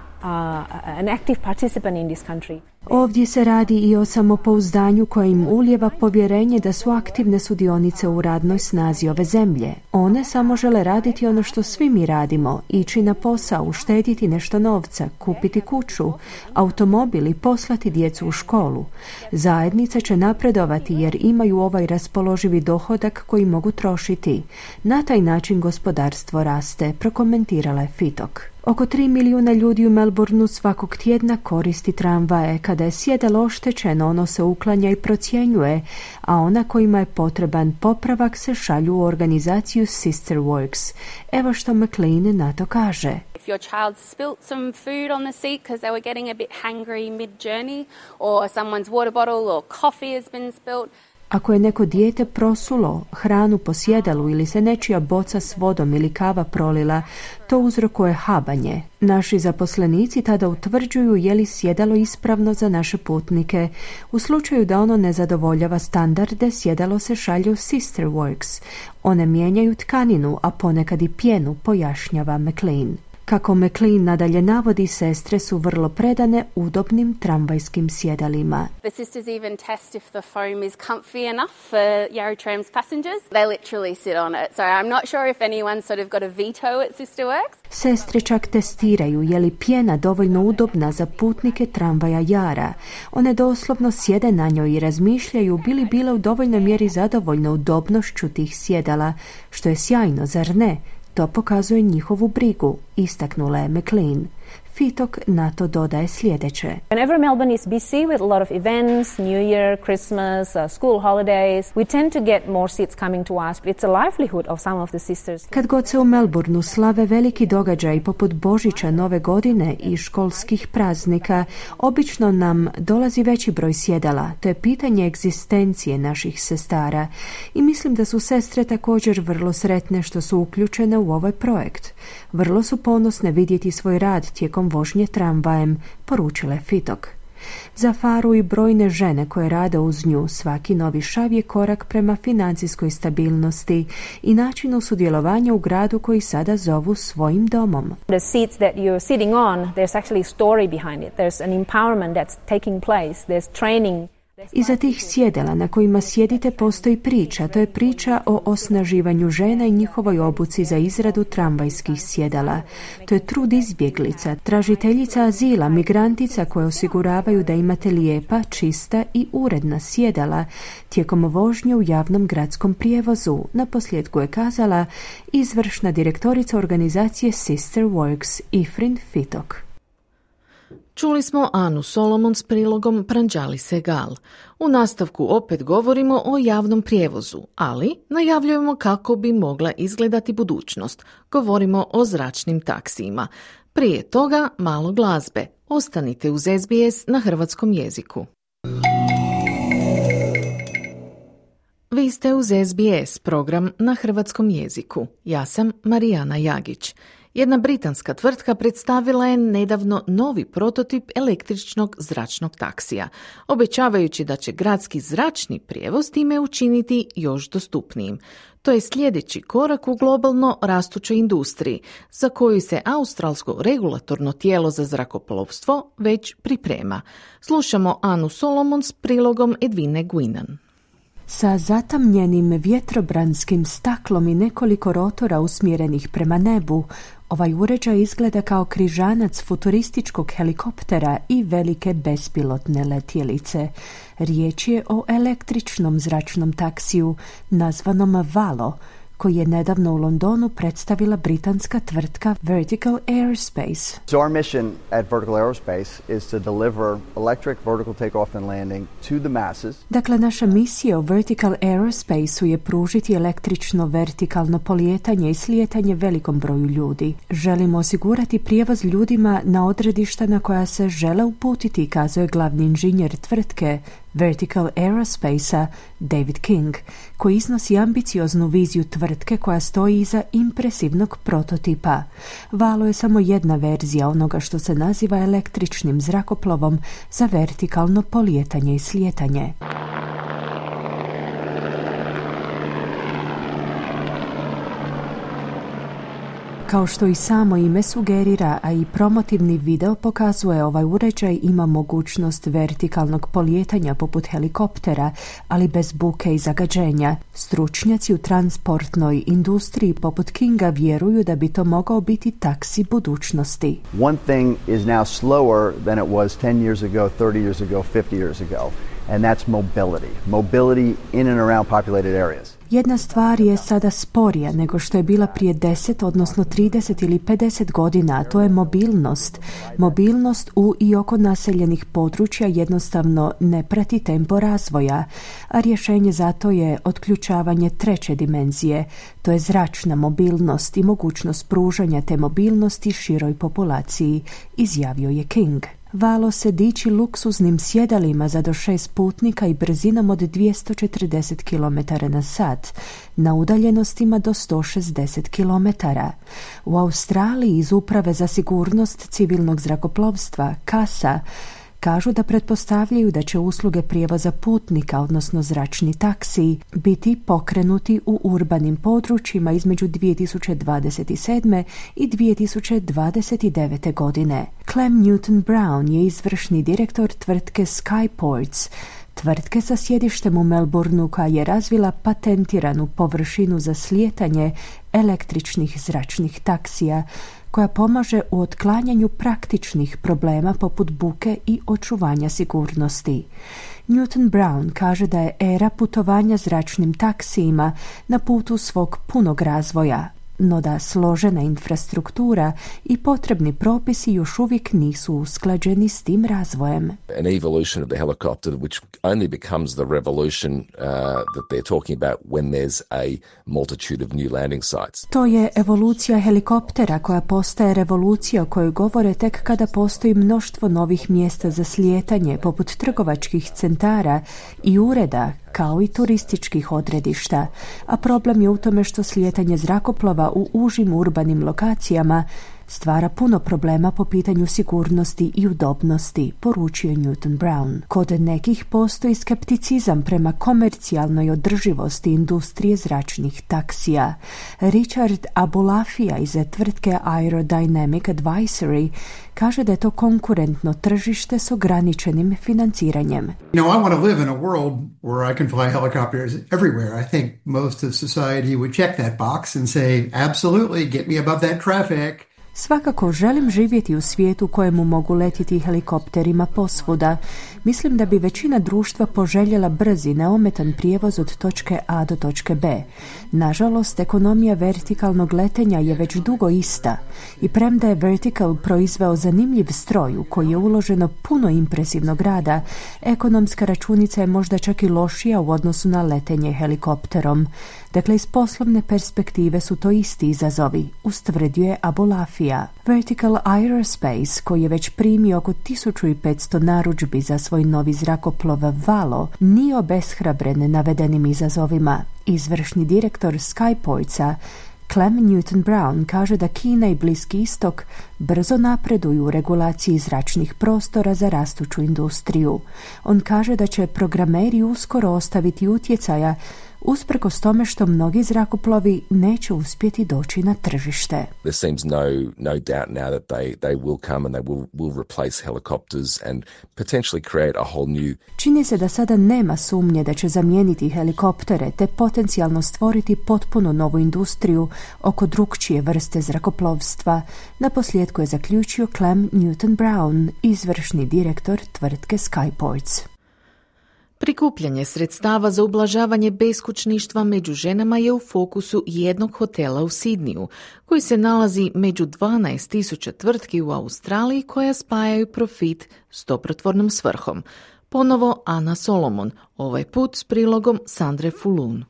an active participant in this country. Ovdje se radi i o samopouzdanju koje im ulijeva povjerenje da su aktivne sudionice u radnoj snazi ove zemlje. One samo žele raditi ono što svi mi radimo, ići na posao, uštediti nešto novca, kupiti kuću, automobil i poslati djecu u školu. Zajednica će napredovati jer imaju ovaj raspoloživi dohodak koji mogu trošiti. Na taj način gospodarstvo raste, prokomentirala je Fitok. Oko 3 milijuna ljudi u Melbourneu svakog tjedna koristi tramvaje. Kada je sjedalo oštećeno, ono se uklanja i procjenjuje, a ona kojima je potreban popravak se šalju u organizaciju Sister Works. Evo što McLean na to kaže. If your child spilt some food on the seat because they were getting a bit hangry mid-journey, or someone's water bottle or coffee has been spilt. Ako je neko dijete prosulo hranu po sjedalu ili se nečija boca s vodom ili kava prolila, to uzrokuje habanje. Naši zaposlenici tada utvrđuju je li sjedalo ispravno za naše putnike. U slučaju da ono ne zadovoljava standarde, sjedalo se šalje u Sister Works. One mijenjaju tkaninu, a ponekad i pjenu, pojašnjava McLean. Kako McLean nadalje navodi, sestre su vrlo predane udobnim tramvajskim sjedalima. The sisters even test if the foam is comfy enough for Yarra Tram's passengers. They literally sit on it. So I'm not sure if anyone's sort of got a veto at Sister Works. Sestre čak testiraju je li pjena dovoljno udobna za putnike tramvaja Yarra. One doslovno sjede na njoj i razmišljaju bi li bile u dovoljnoj mjeri zadovoljne udobnošću tih sjedala, što je sjajno, zar ne? To pokazuje njihovu brigu, istaknula je McLean. Fitok na to dodaje sljedeće. Whenever Melbourne is busy with a lot of events, New Year, Christmas, school holidays, we tend to get more seats coming to us, but it's a livelihood of some of the sisters. Kad god se u Melbourneu slave veliki događaj poput Božića, Nove godine i školskih praznika, obično nam dolazi veći broj sjedala. To je pitanje egzistencije naših sestara i mislim da su sestre također vrlo sretne što su uključene u ovaj projekt. Vrlo su ponosne vidjeti svoj rad tijekom vožnje tramvajem, poručila je Fitok. Za Faru i brojne žene koje rade uz nju, svaki novi šav je korak prema financijskoj stabilnosti i načinu sudjelovanja u gradu koji sada zovu svojim domom. The seats that you're sitting on, there's actually a story behind it. There's an empowerment that's taking place. There's training. Iza tih sjedala na kojima sjedite postoji priča. To je priča o osnaživanju žena i njihovoj obuci za izradu tramvajskih sjedala. To je trud izbjeglica, tražiteljica azila, migrantica koje osiguravaju da imate lijepa, čista i uredna sjedala tijekom vožnje u javnom gradskom prijevozu, naposljetku je kazala izvršna direktorica organizacije Sister Works Ifrin Fitok. Čuli smo Anu Solomon s prilogom Pranjali Segal. U nastavku opet govorimo o javnom prijevozu, ali najavljujemo kako bi mogla izgledati budućnost. Govorimo o zračnim taksijima. Prije toga malo glazbe. Ostanite uz SBS na hrvatskom jeziku. Vi ste uz SBS, program na hrvatskom jeziku. Ja sam Marijana Jagić. Jedna britanska tvrtka predstavila je nedavno novi prototip električnog zračnog taksija, obećavajući da će gradski zračni prijevoz time učiniti još dostupnijim. To je sljedeći korak u globalno rastućoj industriji, za koju se australsko regulatorno tijelo za zrakoplovstvo već priprema. Slušamo Anu Solomon s prilogom Edvine Guinan. Sa zatamnjenim vjetrobranskim staklom i nekoliko rotora usmjerenih prema nebu, ovaj uređaj izgleda kao križanac futurističkog helikoptera i velike bespilotne letjelice. Riječ je o električnom zračnom taksiju nazvanom Valo, koji je nedavno u Londonu predstavila britanska tvrtka Vertical Aerospace. So our mission at Vertical Aerospace is to deliver electric vertical takeoff and landing to the masses. Dakle, naša misija u Vertical Aerospace-u je pružiti električno vertikalno polijetanje i slijetanje velikom broju ljudi. Želimo osigurati prijevoz ljudima na odredišta na koja se žele uputiti, kazao je glavni inženjer tvrtke Vertical Aerospace-a David King, koji iznosi ambicioznu viziju tvrtke koja stoji iza impresivnog prototipa. Valo je samo jedna verzija onoga što se naziva električnim zrakoplovom za vertikalno polijetanje i slijetanje. Kao što i samo ime sugerira, a i promotivni video pokazuje, ovaj uređaj ima mogućnost vertikalnog polijetanja poput helikoptera, ali bez buke i zagađenja. Stručnjaci u transportnoj industriji poput Kinga vjeruju da bi to mogao biti taksi budućnosti. One thing is now slower than it was 10 years ago, 30 years ago, 50 years ago, and that's mobility. Mobility in and around populated areas. Jedna stvar je sada sporija nego što je bila prije 10, odnosno 30 ili 50 godina, a to je mobilnost. Mobilnost u i oko naseljenih područja jednostavno ne prati tempo razvoja, a rješenje za to je otključavanje treće dimenzije, to je zračna mobilnost i mogućnost pružanja te mobilnosti široj populaciji, izjavio je King. Valo se diči luksuznim sjedalima za do 6 putnika i brzinom od 240 km na sat, na udaljenostima do 160 km. U Australiji iz Uprave za sigurnost civilnog zrakoplovstva, CASA, kažu da pretpostavljaju da će usluge prijevoza putnika, odnosno zračni taksiji, biti pokrenuti u urbanim područjima između 2027. i 2029. godine. Clem Newton-Brown je izvršni direktor tvrtke Skyports, tvrtke sa sjedištem u Melbourneu koja je razvila patentiranu površinu za slijetanje električnih zračnih taksija, koja pomaže u otklanjanju praktičnih problema poput buke i očuvanja sigurnosti. Newton-Brown kaže da je era putovanja zračnim taksijima na putu svog punog razvoja, no da složena infrastruktura i potrebni propisi još uvijek nisu usklađeni s tim razvojem. An evolution of the helicopter which only becomes the revolution that they're talking about when there's a multitude of new landing sites. To je evolucija helikoptera koja postaje revolucija o kojoj govore tek kada postoji mnoštvo novih mjesta za slijetanje poput trgovačkih centara i ureda kao i turističkih odredišta, a problem je u tome što slijetanje zrakoplova u užim urbanim lokacijama stvara puno problema po pitanju sigurnosti i udobnosti, poručio Newton-Brown. Kod nekih postoji skepticizam prema komercijalnoj održivosti industrije zračnih taksija. Richard Abulafia iz tvrtke Aerodynamic Advisory kaže da je to konkurentno tržište s ograničenim financiranjem. You know, I want to live in a world where I can fly helicopters everywhere. I think most of society would check that box and say, absolutely, get me above that traffic. Svakako želim živjeti u svijetu kojemu mogu letiti helikopterima posvuda. Mislim da bi većina društva poželjela brzi, neometan prijevoz od točke A do točke B. Nažalost, ekonomija vertikalnog letenja je već dugo ista i premda je Vertical proizveo zanimljiv stroj u koji je uloženo puno impresivnog rada, ekonomska računica je možda čak i lošija u odnosu na letenje helikopterom. Dakle, iz poslovne perspektive su to isti izazovi, ustvrdio je Abulafia. Vertical Aerospace, koji je već primio oko 1500 narudžbi za svoj novi zrakoplov Valo, nije obeshrabren navedenim izazovima. Izvršni direktor Skyportsa Clem Newton-Brown kaže da Kina i Bliski istok brzo napreduju u regulaciji zračnih prostora za rastuću industriju. On kaže da će programeri uskoro ostaviti utjecaja usprkos tome što mnogi zrakoplovi neće uspjeti doći na tržište. There seems no doubt now that they will come and they will replace helicopters and potentially create a whole new. Čini se da sada nema sumnje da će zamijeniti helikoptere te potencijalno stvoriti potpuno novu industriju oko drukčije vrste zrakoplovstva. Naposljetku je zaključio Clem Newton-Brown, izvršni direktor tvrtke Skyports. Prikupljanje sredstava za ublažavanje beskućništva među ženama je u fokusu jednog hotela u Sidniju, koji se nalazi među 12.000 tvrtki u Australiji koja spajaju profit s dobrotvornom svrhom. Ponovo Ana Solomon, ovaj put s prilogom Sandre Fulun.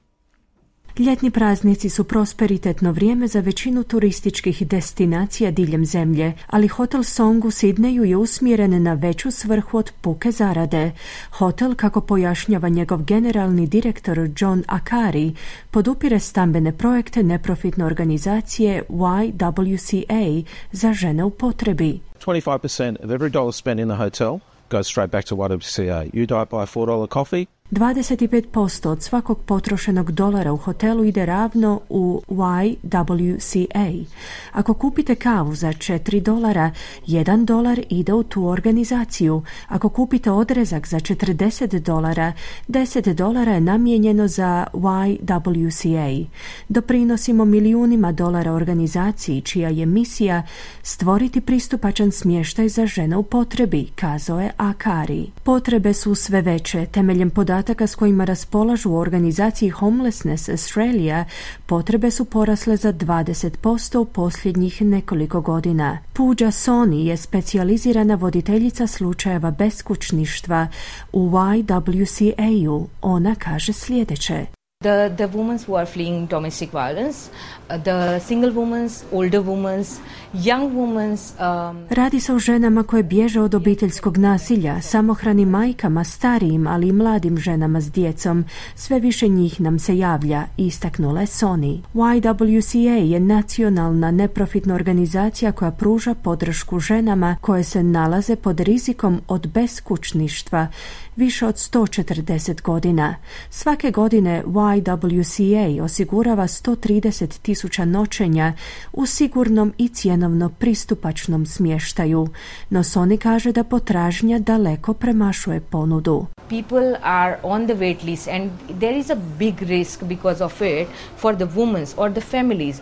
Ljetni praznici su prosperitetno vrijeme za većinu turističkih destinacija diljem zemlje, ali hotel Song u Sidneju je usmjeren na veću svrhu od puke zarade. Hotel, kako pojašnjava njegov generalni direktor John Akari, podupire stambene projekte neprofitne organizacije YWCA za žene u potrebi. 25% of every dollar spent in the hotel goes straight back to YWCA. You don't buy a $4 coffee. 25% od svakog potrošenog dolara u hotelu ide ravno u YWCA. Ako kupite kavu za $4, $1 ide u tu organizaciju. Ako kupite odrezak za $40, $10 je namijenjeno za YWCA. Doprinosimo milijunima dolara organizaciji čija je misija stvoriti pristupačan smještaj za žene u potrebi, kazao je Akari. Potrebe su sve veće temeljem podataka podataka s kojima raspolažu u organizaciji Homelessness Australia, potrebe su porasle za 20% u posljednjih nekoliko godina. Pooja Soni je specijalizirana voditeljica slučajeva beskućništva u YWCA-u. Ona kaže sljedeće. The women who are fleeing domestic violence, the single women, older women, young women. Radi se o ženama koje bježe od obiteljskog nasilja, samohranim majkama, starijim, ali i mladim ženama s djecom. Sve više njih nam se javlja, istaknula je Sony. YWCA je nacionalna neprofitna organizacija koja pruža podršku ženama koje se nalaze pod rizikom od beskućništva više od 140 godina. Svake godine YWCA osigurava 130,000 noćenja u sigurnom i cjenovno pristupačnom smještaju, no Sony kaže da potražnja daleko premašuje ponudu. People are on the wait list and there is a big risk because of it for the women or the families.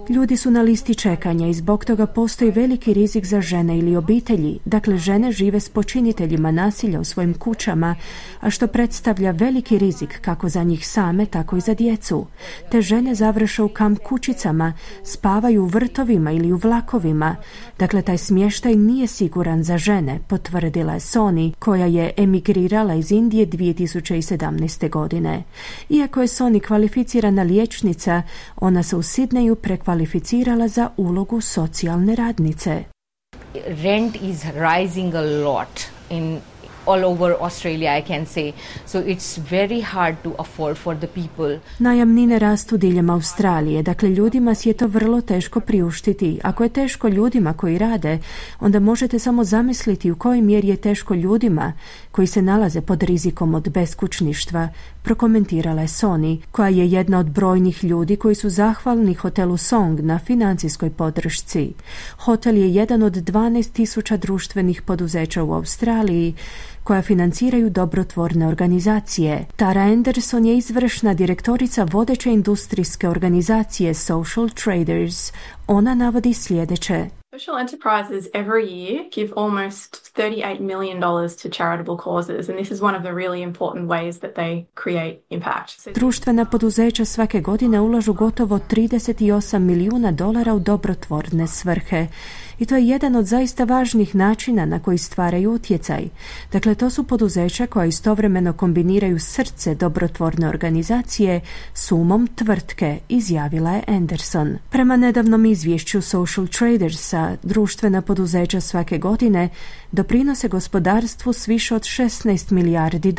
Ljudi su na listi čekanja i zbog toga postoji veliki rizik za žene ili obitelji. Dakle, žene žive s počiniteljima nasilja u svojim kućama, a što predstavlja veliki rizik kako za njih same, tako i za djecu. Te žene završe u kamp kućicama, spavaju u vrtovima ili u vlakovima. Dakle, taj smještaj nije siguran za žene, potvrdila je Sony, koja je emigrirala iz Indije 2017. godine. Iako je Sony kvalificirana liječnica, ona se u Sidneju prekvalificirala za ulogu socijalne radnice. Rent is rising a lot in all over Australia, I can say. So it's very hard to afford for the people. Najamnine rastu diljem Australije, dakle ljudima si je to vrlo teško priuštiti. Ako je teško ljudima koji rade, onda možete samo zamisliti u kojoj mjeri je teško ljudima koji se nalaze pod rizikom od beskućništva, prokomentirala je Sony, koja je jedna od brojnih ljudi koji su zahvalni hotelu Song na financijskoj podršci. Hotel je jedan od 12,000 društvenih poduzeća u Australiji koja financiraju dobrotvorne organizacije. Tara Anderson je izvršna direktorica vodeće industrijske organizacije Social Traders. Ona navodi sljedeće. Social enterprises every year give almost $38 million to charitable causes, and this is one of the really important ways that they create impact. Društvena poduzeća svake godine ulažu gotovo $38 milijuna u dobrotvorne svrhe. I to je jedan od zaista važnih načina na koji stvaraju utjecaj. Dakle, to su poduzeća koja istovremeno kombiniraju srce dobrotvorne organizacije s umom tvrtke, izjavila je Anderson. Prema nedavnom izvješću Social Tradersa, društvena poduzeća svake godine doprinose gospodarstvu s više od $16 milijardi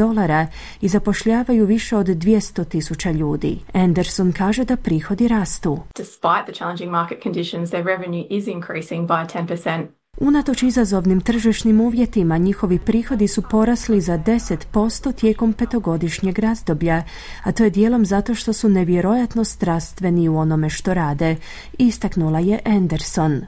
i zapošljavaju više od 200,000 ljudi. Anderson kaže da prihodi rastu. Despite the challenging market conditions, their revenue is increasing by 10%. Unatoč izazovnim tržišnim uvjetima, njihovi prihodi su porasli za 10% tijekom 5-godišnjeg razdoblja, a to je dijelom zato što su nevjerojatno strastveni u onome što rade, istaknula je Anderson.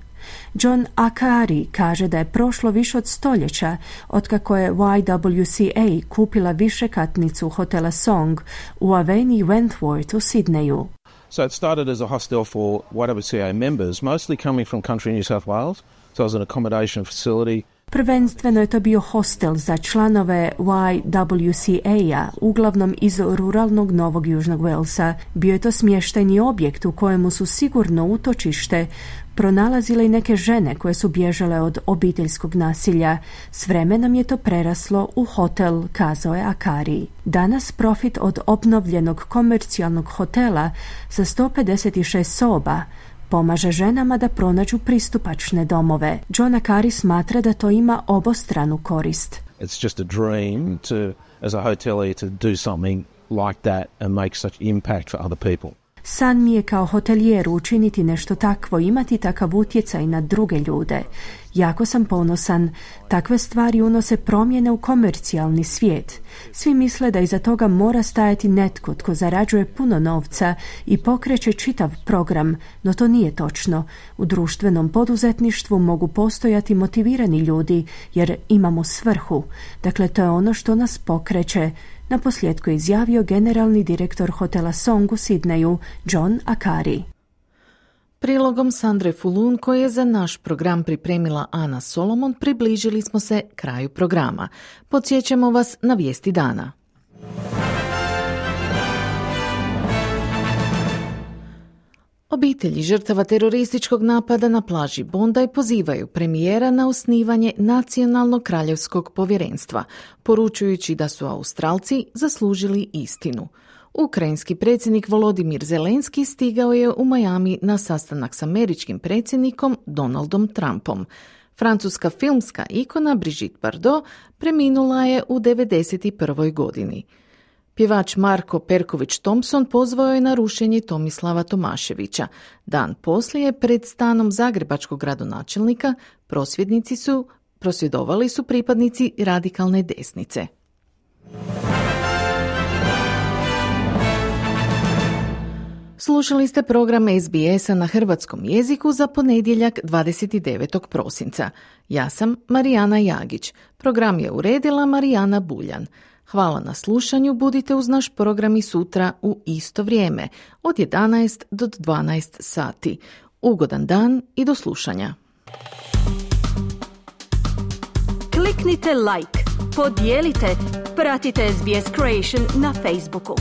John Akari kaže da je prošlo više od stoljeća otkako je YWCA kupila višekatnicu hotela Song u Avenue Wentworth u Sidneju. So it started as a hostel for YWCA members, mostly coming from country New South Wales. So it was an accommodation facility. Prvenstveno je to bio hostel za članove YWCA-a, uglavnom iz ruralnog Novog Južnog Walesa. Bio je to smještajni objekt u kojemu su sigurno utočište pronalazile i neke žene koje su bježale od obiteljskog nasilja. S vremenom je to preraslo u hotel, kazao je Akari. Danas profit od obnovljenog komercijalnog hotela sa 156 soba pomaže ženama da pronađu pristupačne domove. John Akari smatra da to ima obostranu korist. It's just a dream to, as a hotelier, to do something like that and make such impact for other people. San mi je kao hotelijeru učiniti nešto takvo, imati takav utjecaj na druge ljude. Jako sam ponosan. Takve stvari unose promjene u komercijalni svijet. Svi misle da iza toga mora stajati netko tko zarađuje puno novca i pokreće čitav program, no to nije točno. U društvenom poduzetništvu mogu postojati motivirani ljudi jer imamo svrhu. Dakle, to je ono što nas pokreće. Naposljetku je izjavio generalni direktor hotela Song u Sidneju, John Akari. Prilogom Sandre Fulun, koji je za naš program pripremila Ana Solomon, približili smo se kraju programa. Podsjećamo vas na vijesti dana. Obitelji žrtava terorističkog napada na plaži Bondi pozivaju premijera na osnivanje Nacionalnog kraljevskog povjerenstva, poručujući da su Australci zaslužili istinu. Ukrajinski predsjednik Volodimir Zelenski stigao je u Miami na sastanak s američkim predsjednikom Donaldom Trumpom. Francuska filmska ikona Brigitte Bardot preminula je u 91. godini. Pjevač Marko Perković-Thompson pozvao je na rušenje Tomislava Tomaševića. Dan poslije pred stanom zagrebačkog gradonačelnika prosvjedovali su pripadnici radikalne desnice. Slušali ste program SBS-a na hrvatskom jeziku za ponedjeljak 29. prosinca. Ja sam Marijana Jagić. Program je uredila Marijana Buljan. Hvala na slušanju, budite uz naš program i sutra u isto vrijeme, od 11 do 12 sati. Ugodan dan i do slušanja. Kliknite like, podijelite, pratite SBS Creation na Facebooku.